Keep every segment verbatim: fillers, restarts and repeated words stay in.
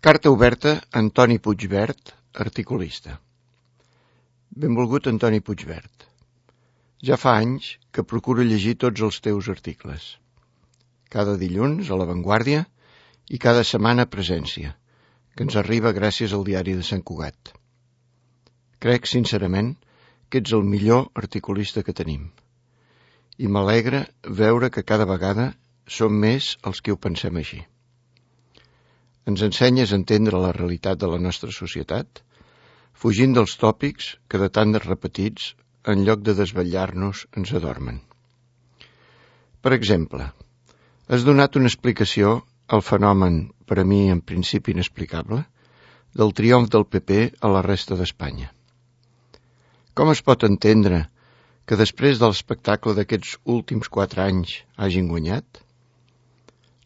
Carta oberta a Antoni Puigvert, articulista. Benvolgut Antoni Puigvert. Ja fa anys que procuro llegir tots els teus articles. Cada dilluns a La Vanguardia i cada setmana a Presència, que ens arriba gràcies al diari de Sant Cugat. Crec, sincerament, que ets el millor articulista que tenim. I m'alegra veure que cada vegada som més els que ho pensem així. Ens ensenyes a entendre la realitat de la nostra societat, fugint dels tòpics que de tant de repetits, en lloc de desvetllar-nos, ens adormen. Per exemple, has donat una explicació al fenomen, per a mi en principi inexplicable, del triomf del P P a la resta d'Espanya. Com es pot entendre que després de l'espectacle d'aquests últims quatre anys hagin guanyat?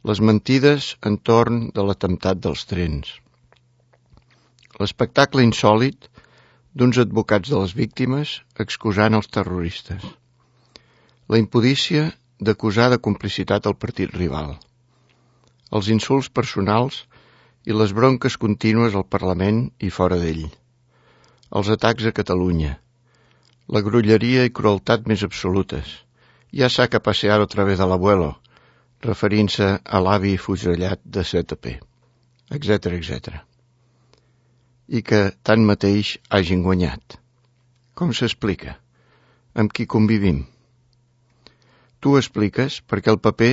Les mentides entorn de l'atemptat dels trens. L'espectacle insòlit d'uns advocats de les víctimes excusant els terroristes. La impudícia d'acusar de complicitat el partit rival. Els insults personals i les bronques contínues al Parlament i fora d'ell. Els atacs a Catalunya. La grolleria i crueltat més absolutes. Ja saca pasear otra vez al abuelo, referint-se a l'avi fusellat de Z P, etcètera, etcètera. I que, tanmateix, hagin guanyat. Com s'explica? Amb qui convivim? Tu expliques perquè el P P,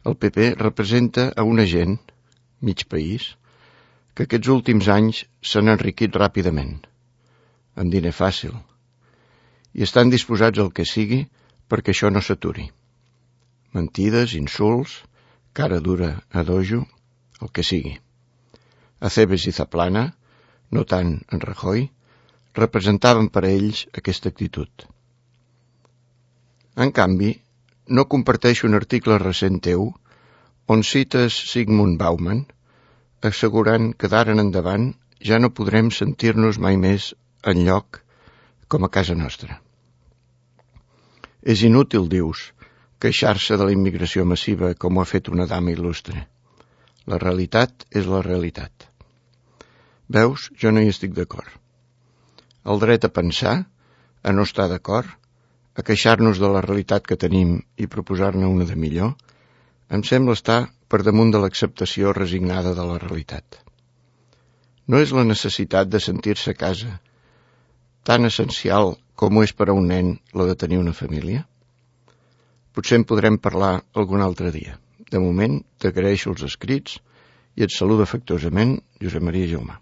el P P representa a una gent, mig país, que aquests últims anys s'han enriquit ràpidament, amb diner fàcil, i estan disposats al que sigui perquè això no s'aturi. Mentides, insults, cara dura a dojo, el que sigui. Acebes i Zaplana, no tant en Rajoy, representaven per a ells aquesta actitud. En canvi, no comparteixo un article recent teu on cites Zygmunt Bauman, assegurant que d'ara en endavant ja no podrem sentir-nos mai més enlloc com a casa nostra. És inútil, dius, queixar-se de la immigració massiva com ho ha fet una dama il·lustre. La realitat és la realitat. Veus, jo no hi estic d'acord. El dret a pensar, a no estar d'acord, a queixar-nos de la realitat que tenim i proposar-ne una de millor, em sembla estar per damunt de l'acceptació resignada de la realitat. No és la necessitat de sentir-se a casa tan essencial com ho és per a un nen la de tenir una família? Potser en podrem parlar algun altre dia. De moment, t'agraeixo els escrits i et saluda afectuosament Josep Maria Jaumà.